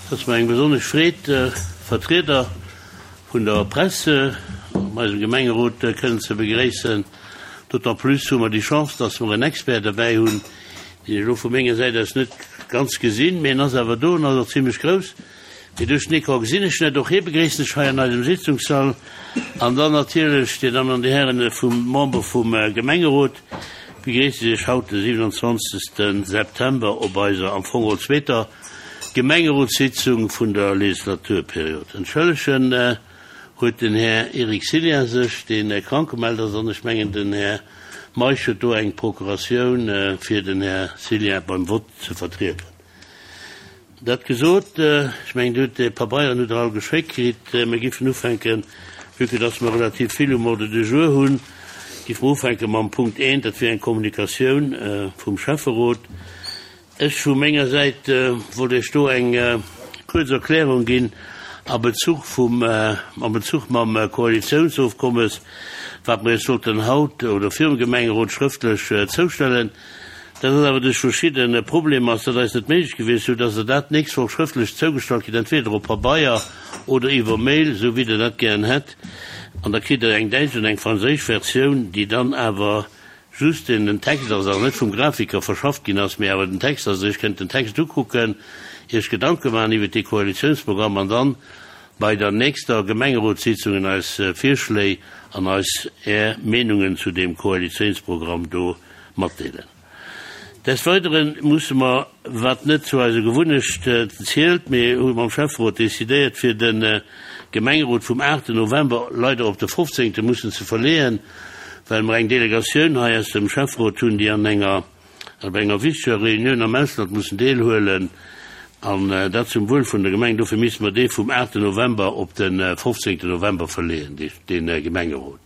Et ass mer eng besonnesch Freed, Vertrieder vun der Presse an eisem Gemengerot kënnen ze begréissen. D'autant plus hu mer déi Chance, dass mer en Expert derbäi hunn, deen ech elo vu menger Säit aus net ganz gesinn, mee en ass awer do, en ass och zimlech grouss, mee duerch den Ecran gesinn ech net. Och hie begréissen ech hei an eisem Sitzungssall. An dann natierlech, Dir Dammen an Dir Hären, vum Member vum Gemengerot begréissen ech Iech haut, de 27. September, op eiser am Fong geholl zweeter Gemengerotssitzung vun der Legislaturperiod. Entschëllegen huet den Här Eric Cillien sech, dee krank gemellt ass, an ech mengen den Här Meisch huet do eng Procuratioun fir den Här Cillien beim Vott ze vertrieden. Dat gesot, ech mengen Dir hutt déi Pabeieren hutt Der all geschéckt kritt, mir giffen ufänken, vue que dass mer relativ vill um Ordre du jour hunn, giffe mer ufänke mam Punkt eent, dat wier eng Kommunikatioun vum Schäfferot. Ech vu menger Säit wollt Iech do eng kuerz Erklärung ginn a Bezuch vum, a Bezuch mam Koalitiounsofkommes, wat mer Iech sollten haut oder virum Gemengerot schrëftlech zoustellen. Dat ass awer duerch verschidde Problemer ass dat eis net méiglech gewiescht, sou dass Der dat d'nächst Woch schrëftlech zougestallt kritt, entweder op Pabeier oder iwwer Mail, sou wéi Der dat gären hätt. An da kritt Der eng däitsch an eng franséisch Versioun, déi dann awer Just deen den Text ass, awer net vum Grafiker verschafft ginn ass, mee awer den Text ass. Iech kënnt den Text ukucken, Iech Gedanke maachen iwwert dee Koalitiounsprogramm an dann bei der nächster Gemengerotssitzungen eis Virschléi an eis Är Meenungen zu deem Koalitiounsprogramm do matdeelen. Des Weidere musse mer, wat net zu eiser Gewunnecht zielt, mee hu mam Schäfferot decidéiert, fir de Gemengerot vum 8 November leider op de 15 mussen ze verleeën, well mer eng Delegatioun hei aus dem Schäfferot hunn, déi an enger, op enger wichteger Reunioun am Ausland mussen deelhuelen, an dat zum Wuel vun der Gemeng. Dofir misste mer dee vum 8 November op de 15 November verleeën, dee Gemengerot.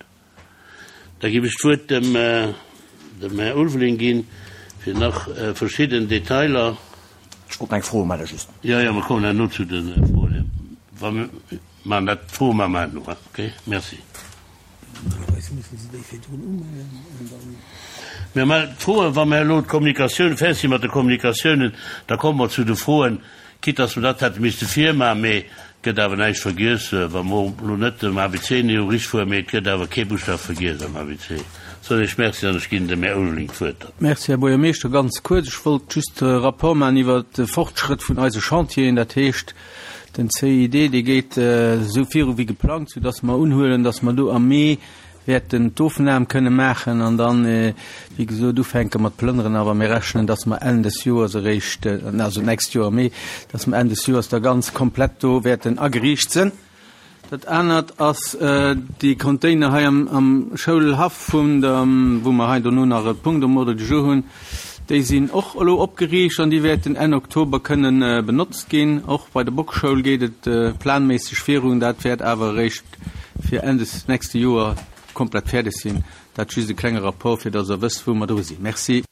Da géif ech d'Wuert dem, dem Här Ulveling ginn, fir nach verschidden Detailer. Ech wollt eng Fro melle just. Jo, jo, mer kommen herno zu de Froen. Wa mir maachen dat, d'Froe maache mer herno, okay? Merci. Normalerweis musse se déi virdrun umellen an dann. Mir mellen d'Froen, wa mer elo d'Kommunikatioun, fäerdeg si mat de Kommunikatiounen, da komme mer zu de Froen. Quitte dass mer dat hätte misste virmachen, mee et gëtt awer näischt vergiess, wa mer elo net dem ABC no richt fueren, mee et gëtt awer kee Buschtaf vergiess am ABC. Soen ech Merci an ech ginn dem Här Ulveling d'Wuert dann. Merci, Här Buergermeeschter. Ganz kuerz, ech wollt just e Rapport maachen iwwert de Fortschrëtt vun eise Chantieren. Dat heescht, den CID, dee geet esou viru wéi geplangt, soudass mer unhuelen, dass mer do am Mee wäerten d'Ofnam kënne maachen an dann, wéi gesot, ufänke mat plënneren. Awer mir rechnen, dass mer Enn des Joers eréischt, also d'nächst Joer am Mee, dass mer Enn des Joers da ganz komplett do wäerten ageriicht sinn. Dat anert ass déi Container hei am Schoulhaff vun der, wou mer hei dono nach e Punkt um Ordre du jour hunn, déi sinn och elo opgeriicht an déi wäerten Enn Oktober kënnen benotzt ginn. Och bei der Bockschoul geet et planméisseg virun. Dat wäert awer eréischt fir Enn des nächste Joer komplett fäerdeg sinn. Dat just e klenge Rapport, fir dass Der wësst, wou mer dru sinn. Merci.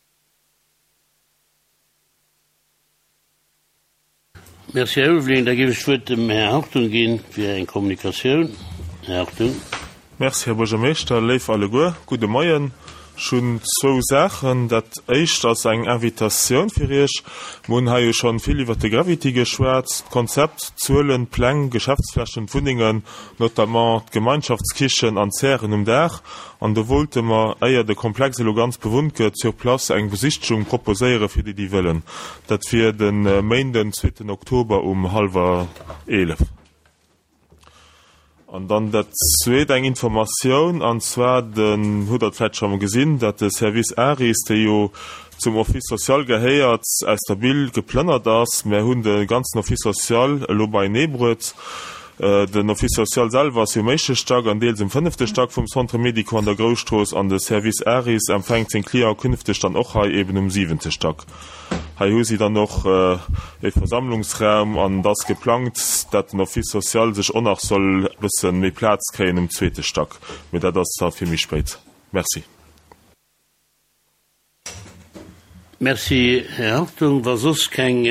Merci, Här Ulveling. Da géif ech d'Wuert dem Här Hartung ginn fir eng Kommunikatioun. Här Hartung. Merci, Här Buergermeeschter. Léif alleguer, gudde Moien. Ech hunn zwou Saachen. Dat éischt ass eng Invitatioun fir Iech. Mer hunn hei jo schonn vill iwwert de Gravity geschwat, d'Konzept, d'Zuelen, d'Pläng, d'Geschäftsflächen, d'Wunnengen, notamment d'Gemeinschaftskichen an d'Zären um Daach. An do wollte mer, éier de Komplex elo ganz bewunnt gëtt, sur place eng Besichtegung proposéiere fir déi, déi wëllen. Dat wier de Méinden, zweeten Oktober um hallwer 11. An dann dat Zweet, eng Informatioun, an zwar den, hutt Der et vläicht scho mol gesinn, datt de Service ARIS, dee jo zum Office social gehéiert, aus der Bille geplënnert ass. Mär hunn de ganzen Office social elo beienee bruet. Den Office social selwer ass jo um éischte Stack an deels um fënnefte Stack vum Centre médico an der Grousstrooss an de Service ARIS empfänkt seng Cliente künfteg dann och hei eben um siwente Stack. Hei hu si dann och e Versammlungsraum an et ass geplangt, dat den Office social sech och nach soll e bësse méi Plaz kréien um zweete Stack, mee dat ass da fir méi spéit. Merci. Merci, Här Hartung. Wa soss keng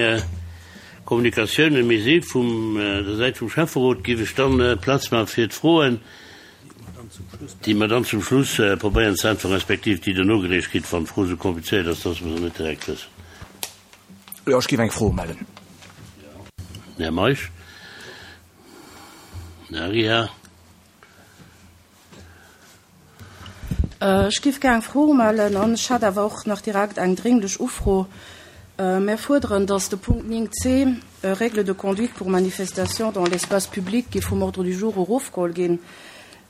Kommunikatiounen méi si vum der Säit vum Schäfferot, géif ech dann Plaz maache fir d'Froen. Déi mer dann zum Schluss probéieren ze äntweren, respektiv déi Der nogereecht kritt, wann d'Fro esou komplizéiert ass, dass mer se net direkt wëssen. Jo, ech géif eng Fro mellen. Den Här Meisch. Den Här Aguiar. Ech géif gär eng Fro umellen an ech hätt awer och nach direkt eng dringlech Ufro. Mär fuerderen, dass de Punkt 9 c, Règles de conduite pour manifestations dans l'espace public, géif vum Ordre du jour erofgeholl ginn.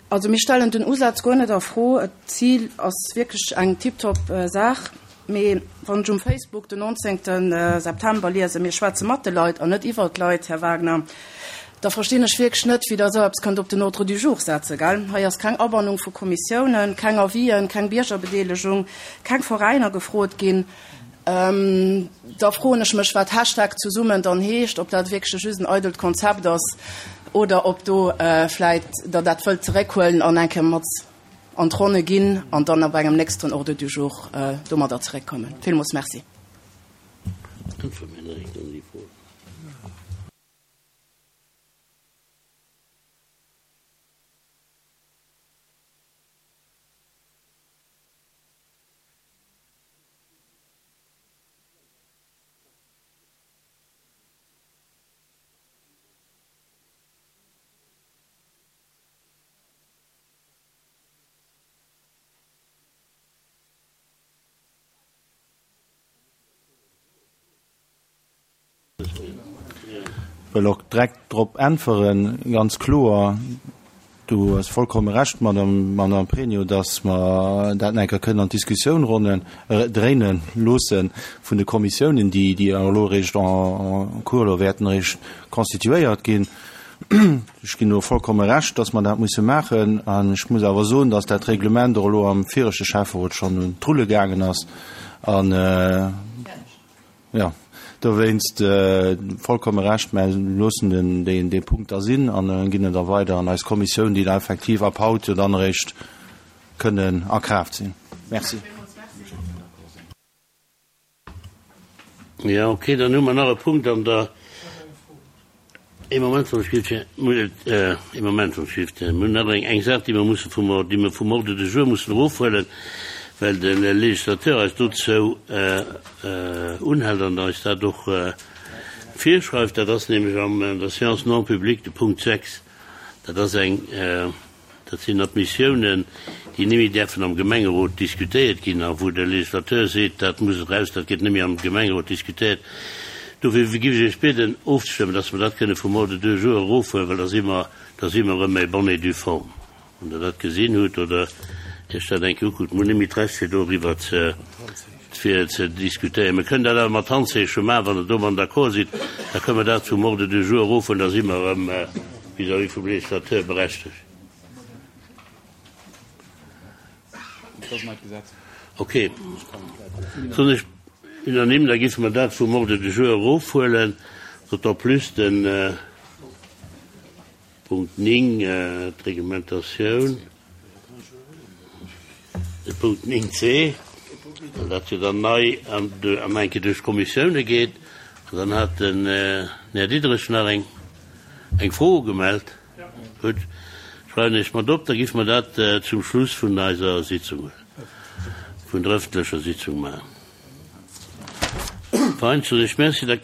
Also mir stellen den Usaz guer net a Fro. D'Zil ass wierklech eng tiptop Saach. Mee wann ech um Facebook den 19 September liesen, mir schwätze mat de Leit an net iwwer d'Leit, Här Wagner, da verstinn ech wierklech net, wéi Der esou eppes kënnt op den Ordre du jour setzen, gell? Hei ass keng Abannung vu Kommissiounen, keng Avisen, keng Biergerbedeelegung, keng Veräiner gefrot ginn. Da froen ech mech, wat Hashtag zesummen dann heescht, ob dat wierklech just en eidelt Konzept ass oder ob do vläit Der dat wëllt zeréckhuelen an eng Kéier mat an d'Ronne ginn an dann op engem nächsten Ordre du jour domadder zeréckkommen. Villmools Merci. Wëll och direkt drop äntweren, ganz kloer, Du hues vollkomme Recht, Madame, Madame Pregno, dass mer dat nach eng Kéier kënnen an d'Diskussioun ronnen, dréine loosse vun de Kommissiounen, déi, déi elo eréischt en cours elo wäerten eréischt constituéiert ginn. Ech ginn do vollkomme Recht, dass mer dat musse maachen. An ech muss awer soen, dass dat Reglement och elo am viregte Schäfferot schonn un d'Rulle gaangen ass. An, jo, dowéinst vollkomme Recht. Mä loossen den, deen, dee Punkt da sinn an ginn en da weider an eis Kommissioun, déi da effektiv ab haut jo dann eréischt kënnen a Kraaft sinn. Merci. Jo, okay, dann hu mer nach e Punkt an der. Ee Moment, wann ech giff, ee Moment, wann ech giff, mir hunn nach eng, eng Saach, déi mer musse vum, déi mer vum Ordre du jour mussen erofhuelen, well de Législateur eis dozou unhält an eis dat och virschreift. Dat ass nämlech an der Séance non publique de Punkt 6. Dat ass eng. Dat sinn Admissiounen, déi net méi däerfen am Gemengerot diskutéiert ginn a wou de Législateur seet, dat muss eraus, dat gëtt net méi am Gemengerot diskutéiert. Dofir géif ech Iech bieden ofzestëmmen, dass mer dat kënne vum Ordre du jour erofhuelen, well da si mer, da si mer erëm e bonne et due forme. Wann Der dat gesinn hutt oder Iech dat eng Kéier ukuckt, mir hunn net méi d'Recht fir doriwwer ze, fir ze diskutéieren. Mir kënnen dat awer mat Handzeeche maachen, wann Der domadden d'accord sidd, da kënnen mer dat vum Ordre du jour erofhuelen, da si mer erëm vis-à-vis vum Législateur berechtegt. Ok, soen ech unanime, da géife mer dat vum Ordre du jour erofhuelen, d'autant plus den Punkt 9, d'Reglementatioun, de Punkt 9c, well dat jo dann nei an eng Kéier duerch d'Kommissioune geet. An dann hat den Här Diderich nach eng eng Fro ugemellt. Gutt, schreiwen ech mat op, da giff mer dat zum Schluss vun eiser Sitzung, vun der öffentlecher Sitzung maachen. Fein, soen ech Merci. Da.